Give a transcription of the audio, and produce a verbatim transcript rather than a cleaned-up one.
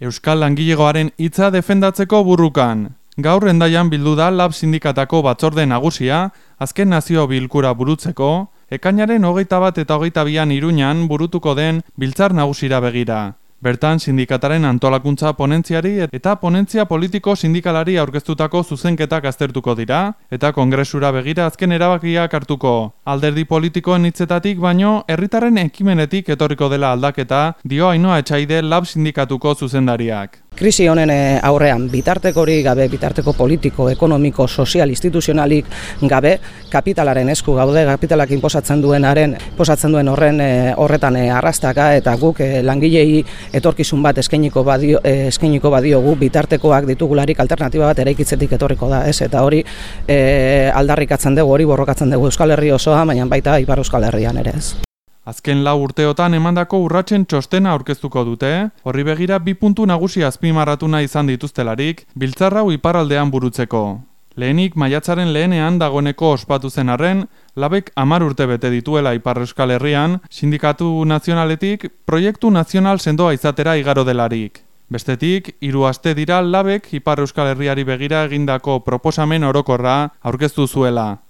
Euskal Langilegoaren hitza defendatzeko burrukan. Gaur Hendaian bildu da Lab sindikatako batzorde nagusia, azken nazio bilkura burutzeko, ekainaren hogeita bat eta hogeita bian Iruñan burutuko den biltzar nagusira begira. Bertan sindikataren antolakuntza ponentziari eta ponentzia politiko sindikalari aurkeztutako zuzenketak aztertuko dira, eta kongresura begira azken erabakiak hartuko. Alderdi politikoen hitzetatik baino, herritarren ekimenetik etorriko dela aldaketa, dio Ainhoa Etxaide Lab sindikatuko zuzendariak. Krisi honen aurrean bitartekori gabe, bitarteko politiko, ekonomiko, sozial, instituzionalik gabe, kapitalaren esku gaude, kapitalak inposatzen duenaren, inposatzen duen horren horretan arrastaka, eta guk langilei etorkizun bat eskainiko badio, eskainiko badiogu, bitartekoak ditugularik alternatiba bat eraikitzetik etorriko da, ez? Eta hori e, aldarrikatzen dugu, hori borrokatzen dugu Euskal Herri osoa, baina baita Ipar Euskal Herrian ere, ez? Azken lau urteotan emandako urratsen txostena aurkeztuko dute, horri begira bi puntu nagusi azpimarratu nahi izan dituztelarik, biltzar hau iparraldean burutzeko. Lehenik maiatzaren lehenean dagoeneko ospatu zen arren, Labek hamar urte bete dituela Ipar Euskal Herrian, sindikatu nazionaletik proiektu nazional sendoa izatera igaro delarik. Bestetik, hiru aste dira Labek Ipar Euskal Herriari begira egindako proposamen orokorra aurkeztu zuela.